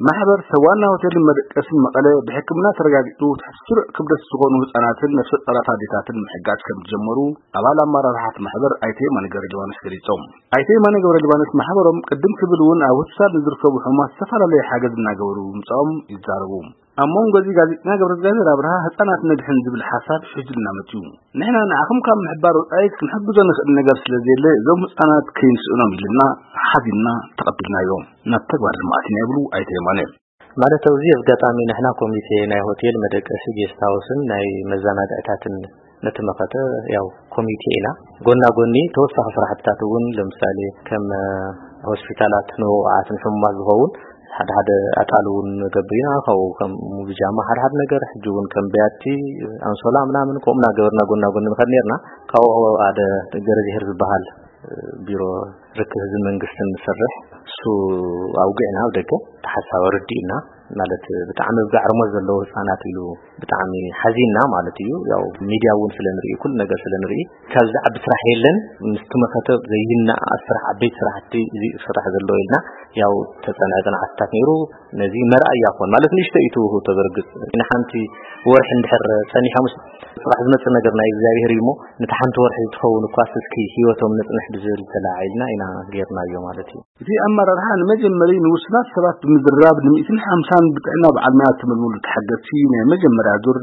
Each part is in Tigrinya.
ማሕበር ሰብ ዋና ሆቴልን መደቀስን መቐለ ብሕክምና ተረጋጊጹ ትሕቲ ስሩዕ ክብደት ዝኾኑ ህጻናትን ነፍሰ ጡራት ኣዴታትን ምሕጋዝ ከም ዝጀመሩ ኣባል ኣመራርሓ እቲ ማሕበር ኣይተ የማነ ገብረሊባኖስ ገሊጾም። ኣይተ የማነ ገብረሊባኖስ ማሕበሮም ቅድም ክብል እውን ኣብ ሆስፒታል ንዝርከቡ ሕሙማት ዝተፈላለየ ሓገዝ እናገበሩ ምምጻኦም ይዛረቡ። ኣብ መንጎ እዚ ጋዜጠኛ ገብረእግዚኣብሔር ኣብርሃ ህጻናት ነድሕን ዝብል ሓሳብ ሒዙልና መጺኡ። ንሕና ንዓኹም ካብ ምሕባር ወጻኢ ክንሕግዞ ንኽእል ነገር ስለ ዘየለ እዞም ህጻናት ከይንስእኖም ኢልና ሓዚንና ተቐቢልናዮም። ናብ ተግባር ድማ ኣቲና ይብሉ ኣይተ የማነ። ማለት ኣብዚ ኣጋጣሚ ንሕና ኮሚቴ ናይ ሆቴል መደቀሲ ጌስት ሃውስን ናይ መዘናግዕታትን ነቲ መኸተ ያው ኮሚቴ ኢና። ጎና ጎኒ ተወሳኺ ስራሕትታት እውን ለምሳሌ ከም ሆስፒታላት ንውቑዓት ንሕሙማት ዝኸውን ሓደ ሓደ ኣጣል እውን ንገብር ኢና። ካብኡ ከም ብጃማ ሓደ ሓደ ነገር ሕጂ እውን ከም ቢያቲ ኣንሶላ ምናምን ከምኡ እናገበርና ጎና ጎኒ ንኸድ ነርና። ካብኡ ሓደ ገረዝሄር ዝበሃል ቢሮ ርክብ ህዝቢ መንግስትን ንሰርሕ እሱ ኣውግዕና ኣብ ደገ ተሓሳብ ኣረዲእና ማለት ብጣዕሚ ብጋዕርሞት ዘለዉ ህፃናት ኢሉ ብጣዕሚ ሓዚንና ማለት እዩ። ያው ሚድያ እውን ስለ ንርኢ ኩሉ ነገር ስለ ንርኢ ካብዚ ዓቢ ስራሕ የለን። ምስቲ መኸተ ዘይናኣ ስራሕ ዓበይቲ ስራሕቲ እዚ ስራሕ ዘለዎ ኢልና ያው ተፀንዐ ፅንዓትታት ነይሩ። ነዚ መርኣያ ኮን ማለት ንእሽቶ እዩ ትውህብ ተበርግፅ ንሓንቲ ወርሒ እንድሕር ፀኒሖም ስራሕ ዝመፅእ ነገር ናይ እግዚኣብሔር እዩ እሞ ነቲ ሓንቲ ወርሒ ዝኸውን እኳ እስኪ ህይወቶም ንፅንሕ ብዝብል ተለዓዒልና ኢና ጌርናዮ ማለት እዩ። እቲ ኣመራርሓ ንመጀመሪ ንውሱናት ሰባት ብምዝራብ ን150ን ብጥዕና በዓል ሞያ እተመልመሉ ተሓገዝቲ ናይ መጀመርያ ዙር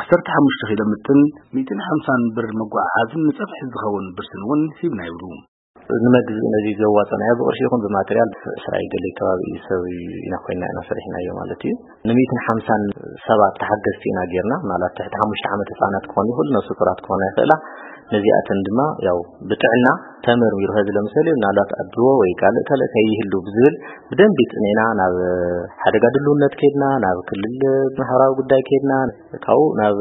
15 ኪሎ ምጥን 150 ብር መጓዓዓዝን ንፀብሒ ዝኸውን ብርስን እውን ሂብና ይብሉ። ንመግዝኢ ነዚ ዘዋፀናዮ ብቕርሺ ይኹን ብማቴሪያል እስራኤል ገለ ከባቢ እዩ ሰብ ኢና ኮይና ኢና ሰሪሕናዮ ማለት እዩ። ን150ን ሰባት ተሓገዝቲ ኢና ጌርና። ምናልባት ትሕቲ ሓሙሽተ ዓመት ህፃናት ክኾኑ ይኽእሉ፣ ነፍሰ ጡራት ክኾና ይኽእላ። ነዚኣተን ድማ ያው ብጥዕና ተመርሚሩ፣ ኸዚ ለምሳሌ ምናልባት ኣድልዎ ወይ ካልእ ካልእ ከይህሉ ብዝብል ብደንቢ ጽኒዕና ናብ ሓደጋ ድልውነት ከድና፣ ናብ ክልል ማሕበራዊ ጉዳይ ከድና፣ ካብኡ ናብ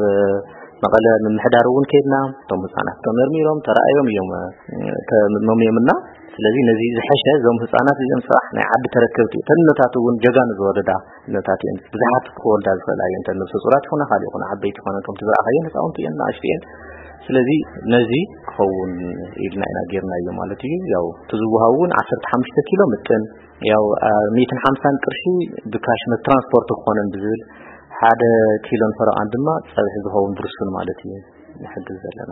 መቐለ ምምሕዳር እውን ከድና። እቶም ህፃናት ተመርሚሮም ተረኣዮም እዮም ተመሞምና። ስለዚ ነዚ ዝሐሸ እዞም ህፃናት እዚኦም ስራሕ ናይ ዓዲ ተረከብቲ እተን እኖታት እውን ጀጋኑ ዝወለዳ እኖታት እየን። ብዙሓት ክወልዳ ዝኽእላ እየን። እተን ነብሰ ፁራት ይኹና ካልእ ይኹና ዓበይቲ ይኾና ከምቲ ዝረኣኻየን ህፃውንቲ እየን፣ ንኣሽቱ እየን። ስለዚ ነዚ ክኸውን ኢልና ኢና ጌርናዮ ማለት እዩ። ያው እቲ ዝወሃብ እውን 15 ኪሎ ምጥን ያው 150 ቅርሺ ብካሽ ትራንስፖርት ክኾነን ብዝብል ሓደ ኪሎን ፈረቓን ድማ ፀብሒ ዝኸውን ብርስን ማለት እዩ ንሕግዝ ዘለና።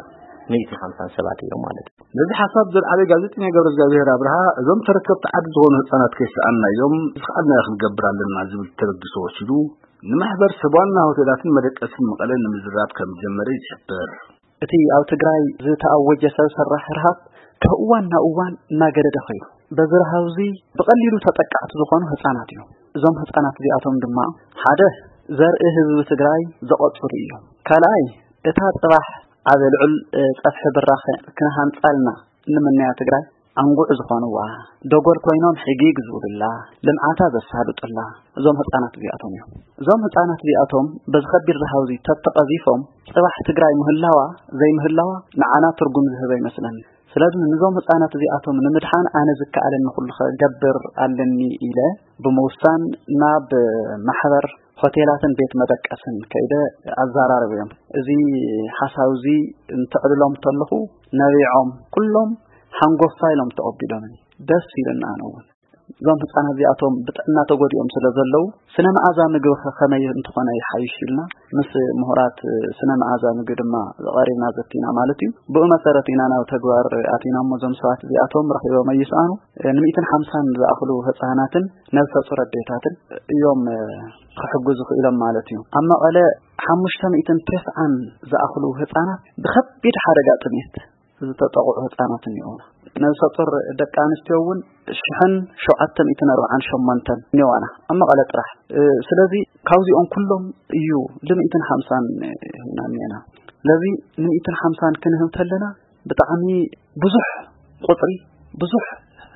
150 ሰባት እዮም ማለት እዩ። ነዚ ሓሳብ ዘልዓለ ጋዜጠኛ ገብረ እግዚኣብሔር ኣብርሃ እዞም ተረከብቲ ዓዲ ዝኾኑ ህፃናት ከይሰኣንና እዮም ዝኸኣልናዮ ክንገብር ኣለና ዝብል ተበግሶ ወሲዱ ንማሕበር ሰብ ዋና ሆቴላትን መደቀስን መቐለ ንምዝራብ ከም ዝጀመረ ይሕብር። እቲ ኣብ ትግራይ ዝተኣወጀ ሰብ ሰራሕ ርሃብ ካብ እዋን ናብ እዋን እናገደደ ኸይዱ። በዚ ረሃብ እዚ ብቐሊሉ ተጠቃዕቲ ዝኾኑ ህፃናት እዮም። እዞም ህፃናት እዚኣቶም ድማ ሓደ ዘርኢ ህዝቢ ትግራይ ዘቐፅሩ እዮም። ካልኣይ እታ ፅባሕ ኣብ ልዑል ፀፍሒ ብራኸ ክነሃንፃልና ንምንያ ትግራይ ኣንጉዕ ዝኾንዋ፣ ደጎል ኮይኖም ሕጊግ ዝብሉላ፣ ልምዓታ ዘሳልጡላ እዞም ህፃናት እዚኣቶም እዮም። እዞም ህፃናት እዚኣቶም በዚ ከቢድ ረሃብ እዚ ተተቐዚፎም ፅባሕ ትግራይ ምህላዋ ዘይምህላዋ ንዓና ትርጉም ዝህበ ይመስለኒ። ስለዚ ንዞም ህፃናት እዚኣቶም ንምድሓን ኣነ ዝከኣለኒ ኩሉ ኸገብር ኣለኒ ኢለ ብምውሳን ናብ ማሕበር ሆቴላትን ቤት መደቀስን ከይደ ኣዘራረብዮም። እዚ ሓሳብ እዚ እንትዕልሎም ተለኹ ነቢዖም ኩሎም ሓንጎፋ ኢሎም ተቐቢሎምኒ። ደስ ኢሉና ኣነ እውን። እዞም ህፃናት እዚኣቶም ብጥዕና ተጎዲኦም ስለ ዘለዉ ስነ መኣዛ ምግቢ ኸ ከመይ እንተኾነ ይሓይሽ ኢልና ምስ ምሁራት ስነ መኣዛ ምግቢ ድማ ቀሪብና ዘቲና ማለት እዩ። ብኡ መሰረት ኢና ናብ ተግባር ኣቲና እሞ እዞም ሰባት እዚኣቶም ረኺቦም ኣይስኣኑ ን150ን ዝኣኽሉ ህፃናትን ነብሰ ጡር ኣዴታትን እዮም ክሕግዙ ክኢሎም ማለት እዩ። ኣብ መቐለ ሓሙሽተ ሚእትን ተስዓን ዝኣኽሉ ህፃናት ብኸቢድ ሓደጋ ጥሜት ዝተጠቕዑ ህፃናት እኒኦና። ነብሰ ጡር ደቂ ኣንስትዮ እውን ሽሕን ሸውዓተ ሚእትን ኣርባዓን ሸሞንተን እኒዋና ኣብ መቐለ ጥራሕ። ስለዚ ካብዚኦም ኩሎም እዩ ል150ን ሂብና እኒኤና። ስለዚ ን150ን ክንህብ ተለና ብጣዕሚ ብዙሕ ቁፅሪ፣ ብዙሕ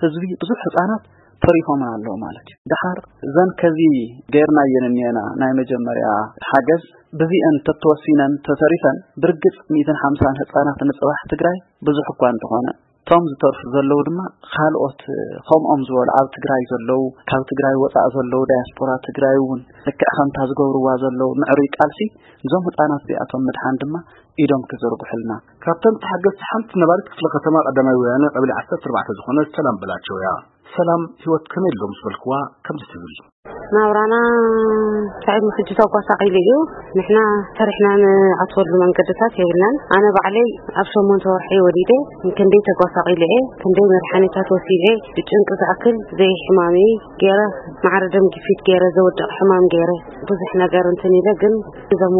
ህዝቢ፣ ብዙሕ ህፃናት ተሪፎምን ኣለዉ ማለት እዩ። ደሓር እዘን ከዚ ገይርናየን እኒኤና ናይ መጀመርያ ሓገዝ ብዚአን ተተወሲነን ተተሪፈን ብርግፅ ሚእትን ሓምሳን ህፃናት ንፅባሕ ትግራይ ብዙሕ እኳ እንተኾነ እቶም ዝተርፉ ዘለዉ ድማ ካልኦት ከምኦም ዝበሉ ኣብ ትግራይ ዘለዉ ካብ ትግራይ ወፃእ ዘለዉ ዳያስፖራ ትግራይ እውን ልክዕ ከምታ ዝገብርዋ ዘለዉ ምዕሩይ ቃልሲ እዞም ህፃናት እዚኣቶም ምድሓን ድማ ኢዶም ክዝርግሑልና። ካብተን ተሓገዝቲ ሓንቲ ነባሪት ክፍለ ከተማ ቀዳማይ ወያነ ቀበሌ ዓሰርተ ኣርባዕተ ዝኾነት ሰላም በላቸው እያ። ሰላም ህይወት ከመይ ኣሎ ምስ በልክዋ ከምዚ ትብል። ናብራና ሳዒድ ሕጂ ተጓሳቒሉ እዩ። ንሕና ሰሪሕና ንኣትወሉ መንገድታት የብልናን። ኣነ ባዕለይ ኣብ ሸሞንተ ወርሒ ወሊደ፣ ክንደይ ተጓሳቒለ እየ፣ ክንደይ መድሓኒታት ወሲደ፣ ብጭንቂ ዝኣክል ዘይሕማመይ ገይረ፣ ማዕረ ደም ግፊት ገይረ፣ ዘወድቕ ሕማም ገይረ፣ ብዙሕ ነገር እንትን ኢለ፣ ግን እዞም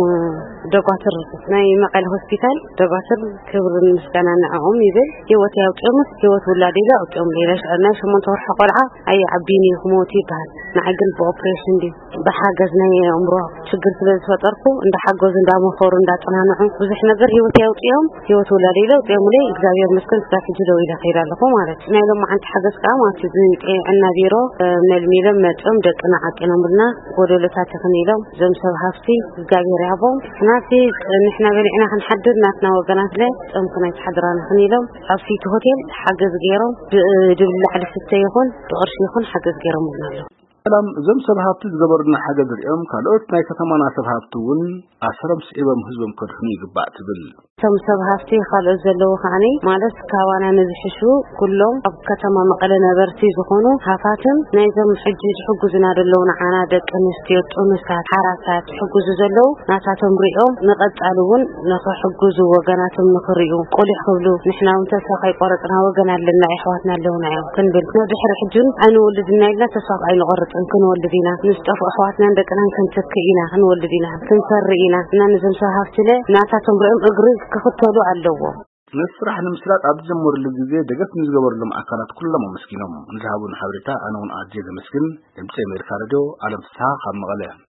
ደጓትር ናይ መቐለ ሆስፒታል ደጓትር ክብርን ምስጋና ንዕኦም ይብል። ህይወት ያውፅኦምስ ህይወት ውላድ ኢለ ኣውፅኦም ኢለ። ናይ ሸሞንተ ወርሒ ቆልዓ ኣይዓብይን እዩ ክመውት ይበሃል። ንዓይ ግን ብኦፕሬሽን ድዩ ብሓገዝ ናይ ኣእምሮ ችግር ስለ ዝፈጠርኩ እንዳሓገዙ እንዳመኸሩ እንዳፀናንዑ ብዙሕ ነገር ህይወት ያውፅኦም ህይወት ውላድ ኢለ ኣውፅኦም ኢለ። እግዚኣብሔር መስገን ስጋብ ሕጂ ደው ኢለ ከይድ ኣለኹ ማለት እዩ። ናይ ሎም መዓንቲ ሓገዝ ከዓ ማለት እዩ። እዚ ጥዕና ቢሮ መልሚሎም መፅኦም ደቅና ዓቂኖምልና ጎደሎታት ይኽን ኢሎም እዞም ሰብ ሃፍቲ እግዚኣብሔር ይሃቦም። ናቲ ንሕና በሊዕና ክንሓድር ናትና ወገናት ለ ጾምኩ ናይ ትሓድራ ንኽን ኢሎም ኣብ ሲቲ ሆቴል ሓገዝ ገይሮም ብድብላዕ ልስተ ይኹን ብቕርሺ ይኹን ሓገዝ ገይሮምልና ኣለዉ። ሰላም፣ እዞም ሰብ ሃፍቲ ዝገበሩልና ሓገዝ ሪኦም ካልኦት ናይ ከተማና ሰብ ሃፍቲ እውን ኣሰሮም ስዒቦም ህዝቦም ከድሕኑ ይግባእ ትብል። እቶም ሰብ ሃፍቲ ካልኦት ዘለዉ ከዓኒ ማለት ካባና ንዝሕሹ ኩሎም ኣብ ከተማ መቐለ ነበርቲ ዝኾኑ ሃፋትም ናይዞም ሕጂ ዝሕጉዙና ዘለዉ ንዓና ደቂ ኣንስትዮ ጥኑሳት ሓራሳት ዝሕጉዙ ዘለዉ ናታቶም ሪኦም ንቐጻሊ እውን ንኽሕጉዙ ወገናቶም ንኽሪኡ ቁሊሕ ክብሉ ንሕና እውን ተስፋ ከይቆረጽና ወገን ኣለና የሕዋትና ኣለዉና እዮም ክንብል ንድሕሪ ሕጂ እውን ኣይንወልድና ኢልና ተስፋ ኣይንቆርጽን ክንወልድ ኢና ምስ ጠፍኡ ኣሕዋትናን ደቅናን ክንትክእ ኢና ክንወልድ ኢና ክንፈሪ ኢና እና ነዞም ሰብ ሃፍቲ ለ ናታቶም ሪኦም እግሪ ክኽተሉ ኣለዎም። ነቲ ስራሕ ንምስላጥ ኣብ ዝጀመሩሉ ግዜ ደገፍ ንዝገበሩሎም ኣካላት ኩሎም ኣመስጊኖም። ንዝሃቡን ሓበሬታ ኣነ እውን ኣዝየ ዘመስግን። ድምፂ ኣሜሪካ ሬድዮ ኣለም ፍስሃ ካብ መቐለ።